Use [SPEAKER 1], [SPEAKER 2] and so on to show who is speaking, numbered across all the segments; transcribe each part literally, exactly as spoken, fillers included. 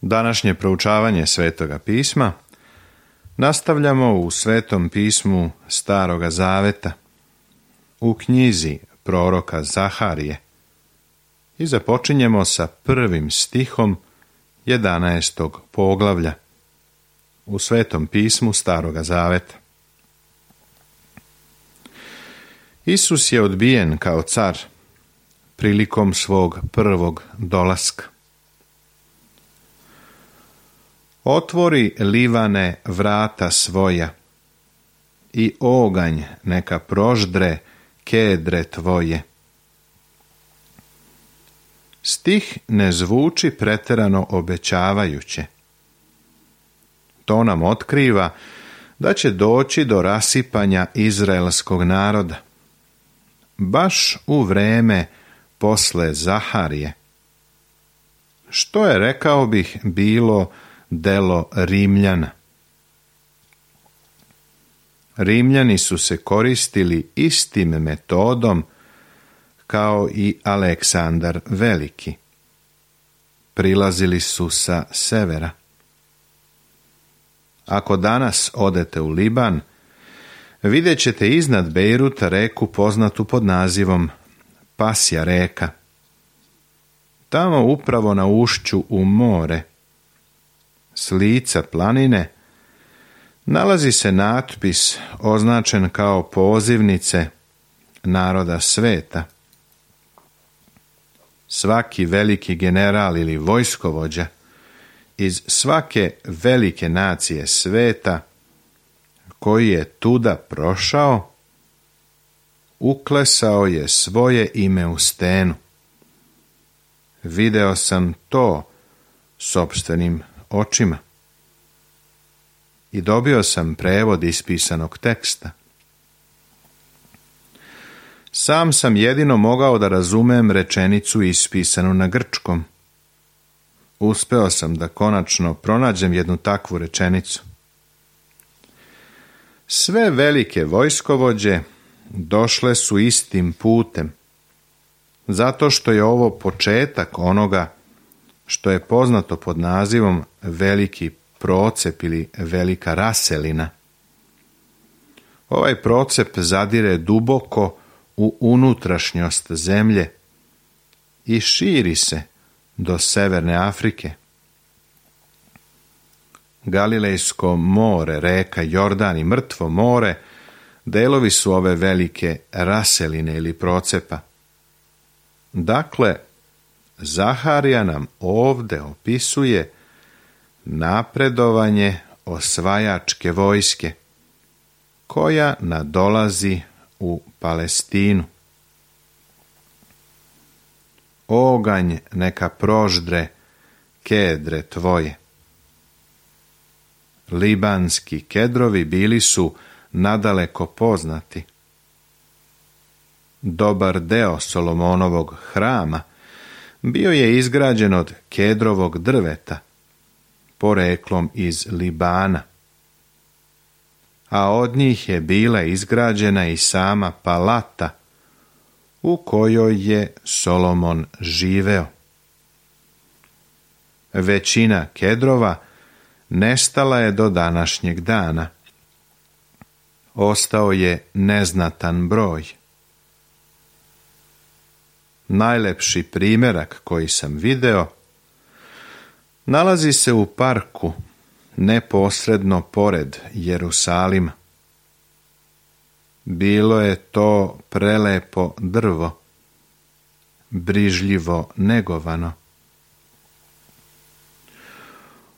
[SPEAKER 1] Današnje proučavanje Svetoga pisma nastavljamo u Svetom pismu Staroga Zaveta, u knjizi proroka Zaharije i započinjemo sa prvim stihom jedanaestog poglavlja u Svetom pismu Staroga Zaveta. Isus je odbijen kao car prilikom svog prvog dolaska. Otvori, Livane, vrata svoja i oganj neka proždre kedre tvoje. Stih ne zvuči preterano obećavajuće. To nam otkriva da će doći do rasipanja izraelskog naroda, baš u vreme posle Zaharije, što je, rekao bih, bilo delo Rimljana. Rimljani su se koristili istim metodom kao i Aleksandar Veliki. Prilazili su sa severa. Ako danas odete u Liban, vidjet ćete iznad Bejruta reku poznatu pod nazivom Pasja reka. Tamo upravo na ušću u more, s lica planine, nalazi se natpis označen kao pozivnice naroda sveta. Svaki veliki general ili vojskovođa iz svake velike nacije sveta koji je tuda prošao, uklesao je svoje ime u stenu. Video sam to sopstvenim očima i dobio sam prevod ispisanog teksta. Sam sam jedino mogao da razumem rečenicu ispisanu na grčkom. Uspeo sam da konačno pronađem jednu takvu rečenicu. Sve velike vojskovođe došle su istim putem, zato što je ovo početak onoga što je poznato pod nazivom veliki procep ili velika raselina. Ovaj procep zadire duboko u unutrašnjost zemlje i širi se do Severne Afrike. Galilejsko more, reka Jordan i Mrtvo more delovi su ove velike raseline ili procepa. Dakle, Zaharija nam ovde opisuje napredovanje osvajačke vojske koja nadolazi u Palestinu. Oganj neka proždre kedre tvoje. Libanski kedrovi bili su nadaleko poznati. Dobar deo Solomonovog hrama bio je izgrađen od kedrovog drveta, poreklom iz Libana, a od njih je bila izgrađena i sama palata u kojoj je Solomon živeo. Većina kedrova nestala je do današnjeg dana. Ostao je neznatan broj. Najlepši primjerak koji sam video nalazi se u parku neposredno pored Jerusalima. Bilo je to prelepo drvo, brižljivo negovano.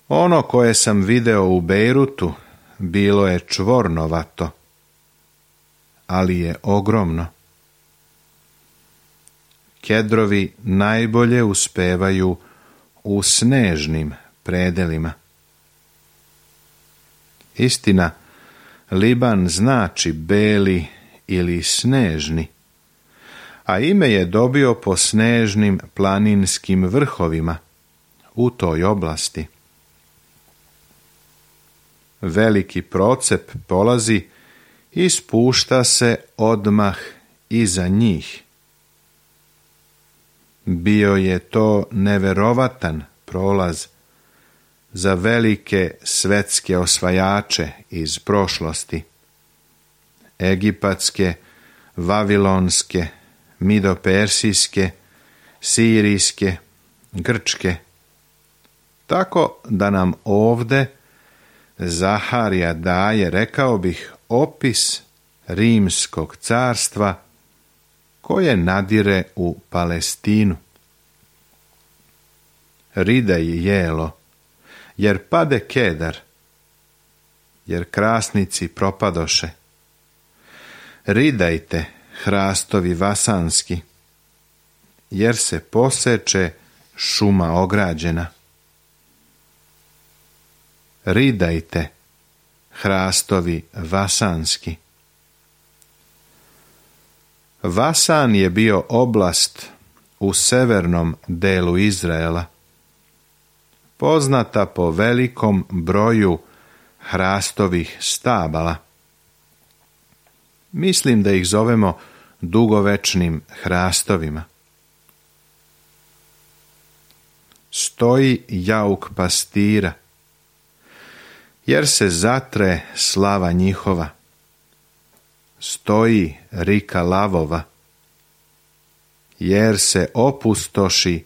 [SPEAKER 1] Ono koje sam video u Bejrutu bilo je čvornovato, ali je ogromno. Kedrovi najbolje uspevaju u snežnim predelima. Istina, Liban znači beli ili snežni, a ime je dobio po snežnim planinskim vrhovima u toj oblasti. Veliki procep polazi i spušta se odmah iza njih. Bio je to neverovatan prolaz za velike svetske osvajače iz prošlosti. Egipatske, vavilonske, midopersijske, sirijske, grčke. Tako da nam ovde Zaharija daje, rekao bih, opis Rimskog carstva koje nadire u Palestinu. Ridaj jelo, jer pade Kedar, jer krasnici propadoše. Ridajte, hrastovi vasanski, jer se poseče šuma ograđena. Ridajte, hrastovi vasanski. Vasan je bio oblast u severnom delu Izraela, poznata po velikom broju hrastovih stabala. Mislim da ih zovemo dugovečnim hrastovima. Stoji jauk pastira, jer se zatre slava njihova. Stoji rika lavova, jer se opustoši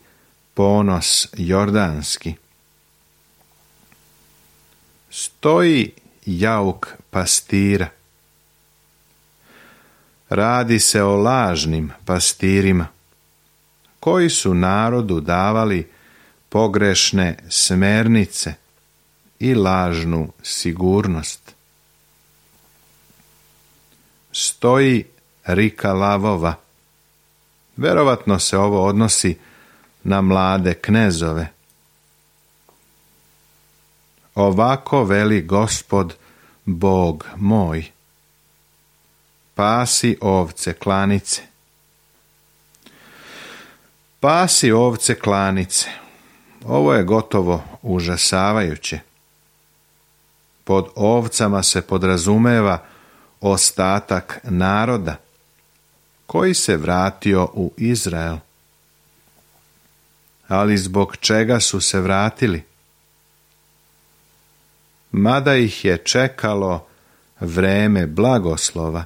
[SPEAKER 1] ponos jordanski. Stoji jauk pastira. Radi se o lažnim pastirima, koji su narodu davali pogrešne smernice i lažnu sigurnost. Stoji rika lavova. Verovatno se ovo odnosi na mlade knezove. Ovako veli Gospod, Bog moj. Pasi ovce klanice. Pasi ovce klanice. Ovo je gotovo užasavajuće. Pod ovcama se podrazumeva ostatak naroda koji se vratio u Izrael. Ali zbog čega su se vratili? Mada ih je čekalo vreme blagoslova.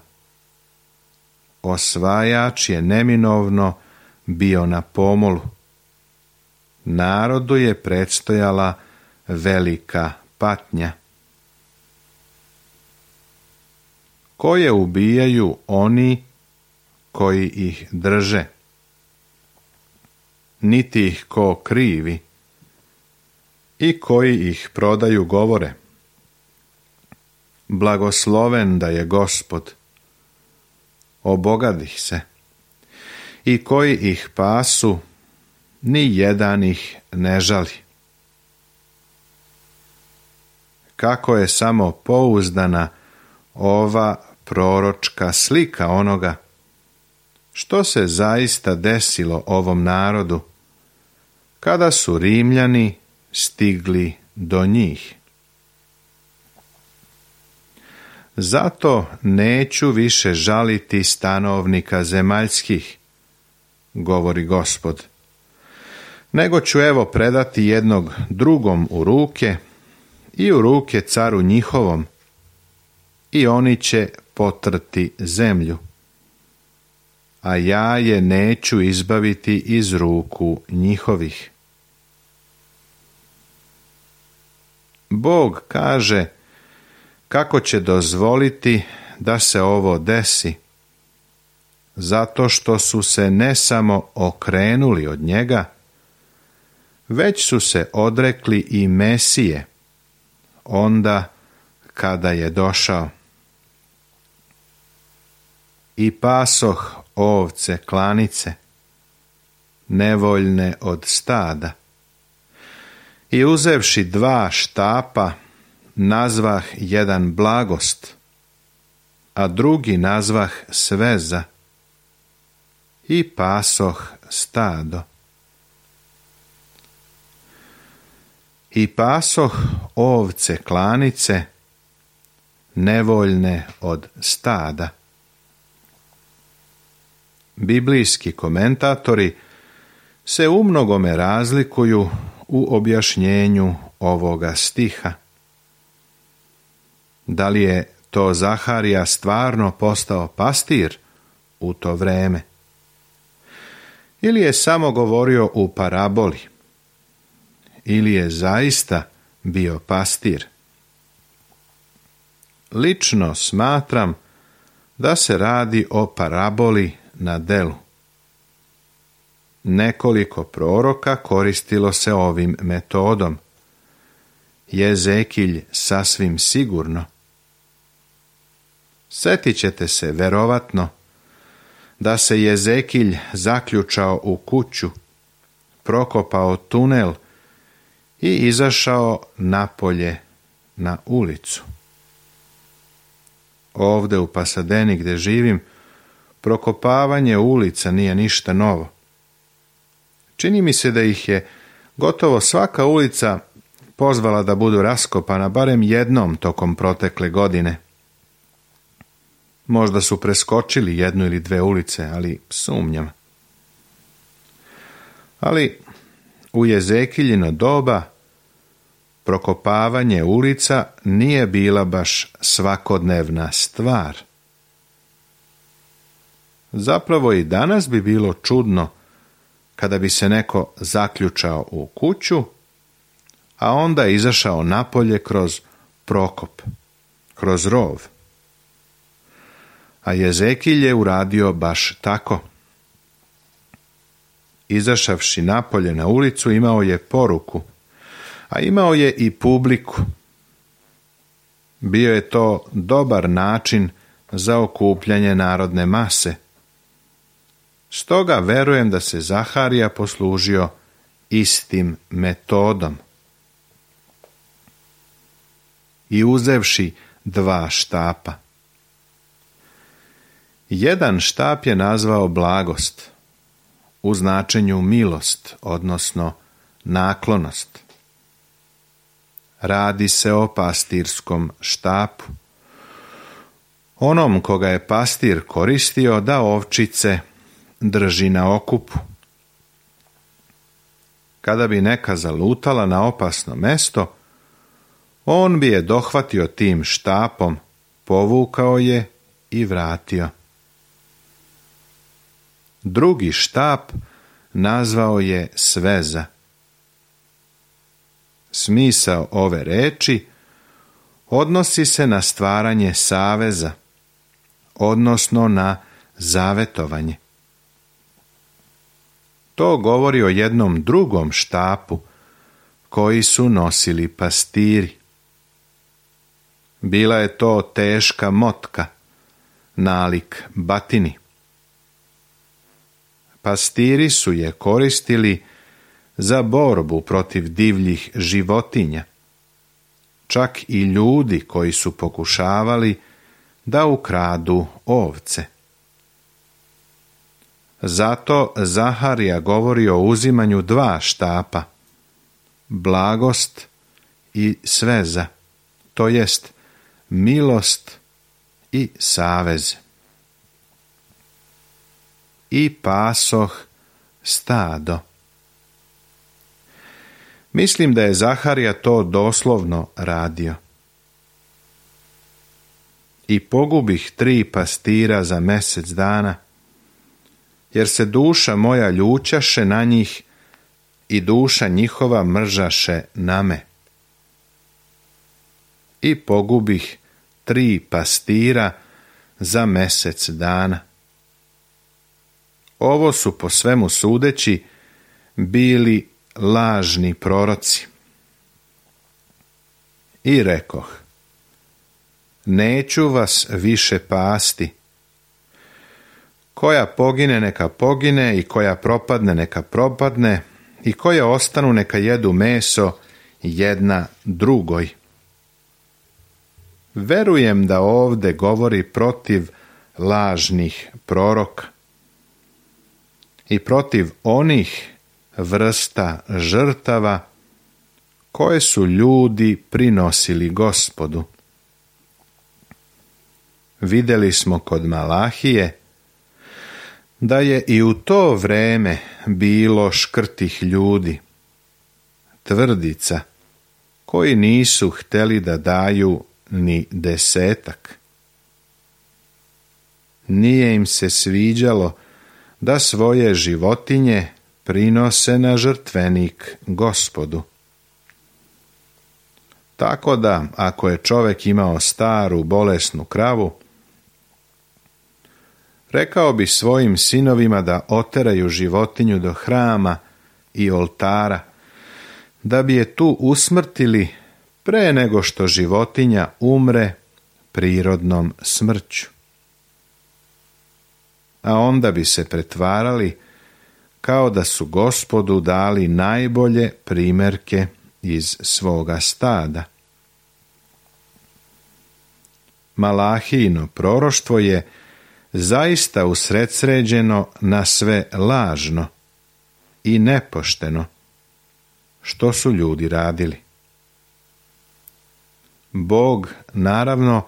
[SPEAKER 1] Osvajač je neminovno bio na pomolu. Narodu je predstojala velika patnja. Koje ubijaju oni koji ih drže. Niti ih ko krivi. I koji ih prodaju govore. Blagosloven da je Gospod. Obogadih se. I koji ih pasu, ni jedan ih ne žali. Kako je samo pouzdana ova proročka slika onoga što se zaista desilo ovom narodu kada su Rimljani stigli do njih. Zato neću više žaliti stanovnika zemaljskih, govori Gospod, nego ću evo predati jednog drugom u ruke i u ruke caru njihovom, i oni će potrti zemlju, a ja je neću izbaviti iz ruku njihovih. Bog kaže kako će dozvoliti da se ovo desi, zato što su se ne samo okrenuli od njega, već su se odrekli i Mesije, onda kada je došao. I pasoh ovce klanice, nevoljne od stada. I uzevši dva štapa, nazvah jedan blagost, a drugi nazvah sveza, i pasoh stado. I pasoh ovce klanice, nevoljne od stada. Biblijski komentatori se umnogome razlikuju u objašnjenju ovoga stiha? Da li je to Zaharija stvarno postao pastir u to vreme? Ili je samo govorio u paraboli? Ili je zaista bio pastir? Lično smatram da se radi o paraboli na delu. Nekoliko proroka koristilo se ovim metodom. Jezekilj sasvim sigurno. Sjetit ćete se verovatno da se Jezekilj zaključao u kuću, prokopao tunel i izašao napolje na ulicu. Ovdje u Pasadeni gdje živim, prokopavanje ulica nije ništa novo. Čini mi se da ih je gotovo svaka ulica pozvala da budu raskopana barem jednom tokom protekle godine. Možda su preskočili jednu ili dve ulice, ali sumnjam. Ali u Jezekiljino doba prokopavanje ulica nije bila baš svakodnevna stvar. Zapravo i danas bi bilo čudno kada bi se neko zaključao u kuću, a onda izašao napolje kroz prokop, kroz rov. A Jezekilj je uradio baš tako. Izašavši napolje na ulicu imao je poruku, a imao je i publiku. Bio je to dobar način za okupljanje narodne mase. Stoga verujem da se Zaharija poslužio istim metodom. I uzevši dva štapa. Jedan štap je nazvao blagost, u značenju milost, odnosno naklonost. Radi se o pastirskom štapu. Onom koga je pastir koristio da ovčice drži na okupu. Kada bi neka zalutala na opasno mesto, on bi je dohvatio tim štapom, povukao je i vratio. Drugi štap nazvao je sveza. Smisao ove reči odnosi se na stvaranje saveza, odnosno na zavetovanje. To govori o jednom drugom štapu koji su nosili pastiri. Bila je to teška motka, nalik batini. Pastiri su je koristili za borbu protiv divljih životinja, čak i ljudi koji su pokušavali da ukradu ovce. Zato Zaharija govori o uzimanju dva štapa, blagost i sveza, to jest milost i savez. I pasoh stado. Mislim da je Zaharija to doslovno radio. I pogubih tri pastira za mjesec dana, jer se duša moja ljućaše na njih i duša njihova mržaše na me. I pogubih tri pastira za mjesec dana. Ovo su po svemu sudeći bili lažni proroci. I rekoh, neću vas više pasti. Koja pogine neka pogine i koja propadne neka propadne i koja ostanu neka jedu meso jedna drugoj. Verujem da ovdje govori protiv lažnih proroka i protiv onih vrsta žrtava koje su ljudi prinosili Gospodu. Vidjeli smo kod Malahije da je i u to vreme bilo škrtih ljudi, tvrdica, koji nisu htjeli da daju ni desetak. Nije im se sviđalo da svoje životinje prinose na žrtvenik Gospodu. Tako da, ako je čovjek imao staru bolesnu kravu, rekao bi svojim sinovima da oteraju životinju do hrama i oltara, da bi je tu usmrtili pre nego što životinja umre prirodnom smrću. A onda bi se pretvarali kao da su Gospodu dali najbolje primjerke iz svoga stada. Malahijino proroštvo je zaista usredsređeno na sve lažno i nepošteno što su ljudi radili. Bog, naravno,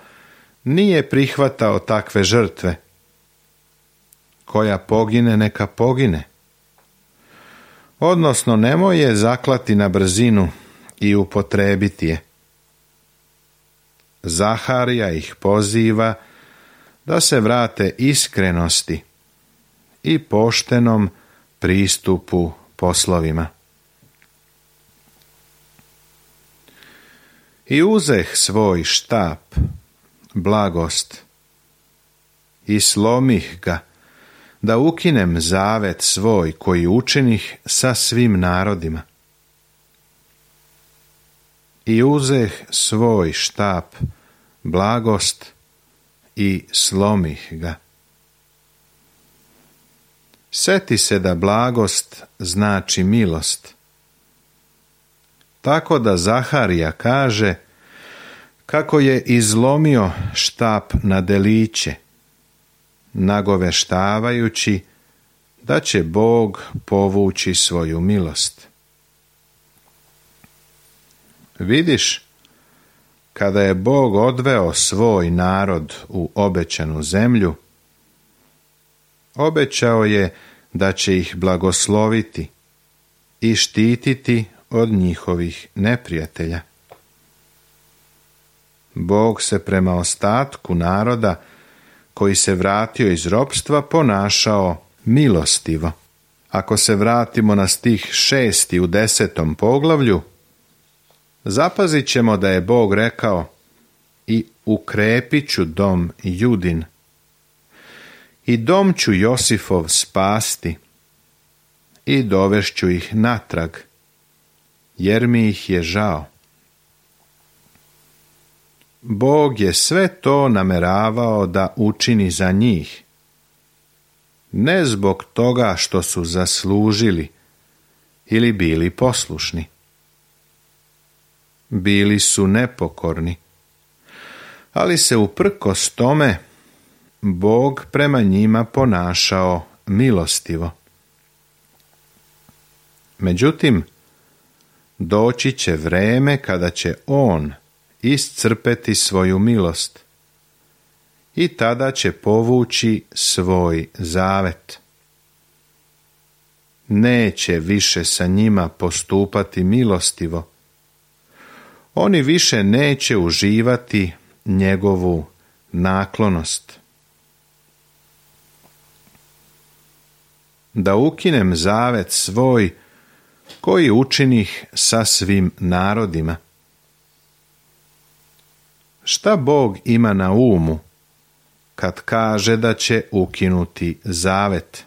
[SPEAKER 1] nije prihvatao takve žrtve. Koja pogine, neka pogine. Odnosno, nemoj je zaklati na brzinu i upotrebiti je. Zaharija ih poziva da se vrate iskrenosti i poštenom pristupu poslovima. I uzeh svoj štap, blagost, i slomih ga, da ukinem zavet svoj koji učinih sa svim narodima. I uzeh svoj štap, blagost, i slomih ga. Seti se da blagost znači milost. Tako da Zaharija kaže kako je izlomio štap na deliće, nagoveštavajući da će Bog povući svoju milost. Vidiš, kada je Bog odveo svoj narod u obećanu zemlju, obećao je da će ih blagosloviti i štititi od njihovih neprijatelja. Bog se prema ostatku naroda koji se vratio iz ropstva ponašao milostivo. Ako se vratimo na stih šesti u desetom poglavlju, zapazit ćemo da je Bog rekao: i ukrepit ću dom Judin, i dom ću Josifov spasti, i dovešću ih natrag, jer mi ih je žao. Bog je sve to nameravao da učini za njih, ne zbog toga što su zaslužili ili bili poslušni. Bili su nepokorni, ali se uprkos tome Bog prema njima ponašao milostivo. Međutim, doći će vreme kada će On iscrpeti svoju milost i tada će povući svoj zavet. Neće više sa njima postupati milostivo. Oni više neće uživati njegovu naklonost. Da ukinem zavet svoj koji učinih sa svim narodima. Šta Bog ima na umu kad kaže da će ukinuti zavet?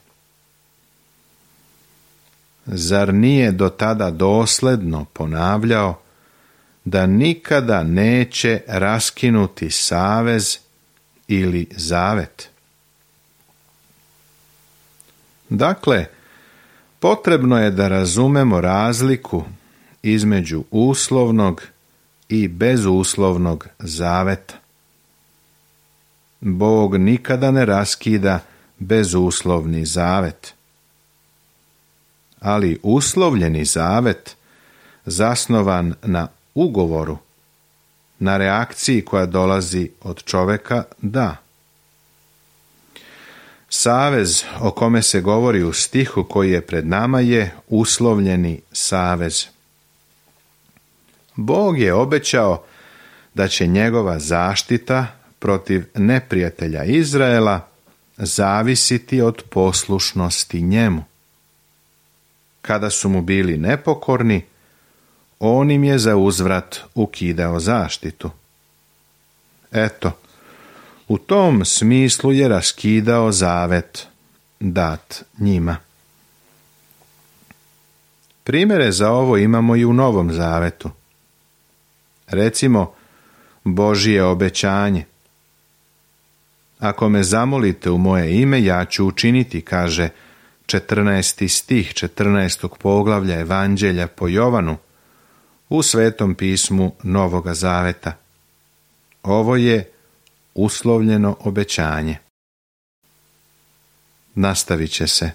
[SPEAKER 1] Zar nije do tada dosledno ponavljao da nikada neće raskinuti savez ili zavet? Dakle, potrebno je da razumemo razliku između uslovnog i bezuslovnog zaveta. Bog nikada ne raskida bezuslovni zavet. Ali uslovljeni zavet, zasnovan na ugovoru, na reakciji koja dolazi od čovjeka, da. Savez o kome se govori u stihu koji je pred nama je uslovljeni savez. Bog je obećao da će njegova zaštita protiv neprijatelja Izraela zavisiti od poslušnosti njemu. Kada su mu bili nepokorni, on im je za uzvrat ukidao zaštitu. Eto, u tom smislu je raskidao zavet dat njima. Primjere za ovo imamo i u Novom zavetu. Recimo, Božje obećanje. Ako me zamolite u moje ime, ja ću učiniti, kaže četrnaesti stih četrnaestog poglavlja Evanđelja po Jovanu u Svetom pismu Novoga zaveta. Ovo je uslovljeno obećanje. Nastavit će se.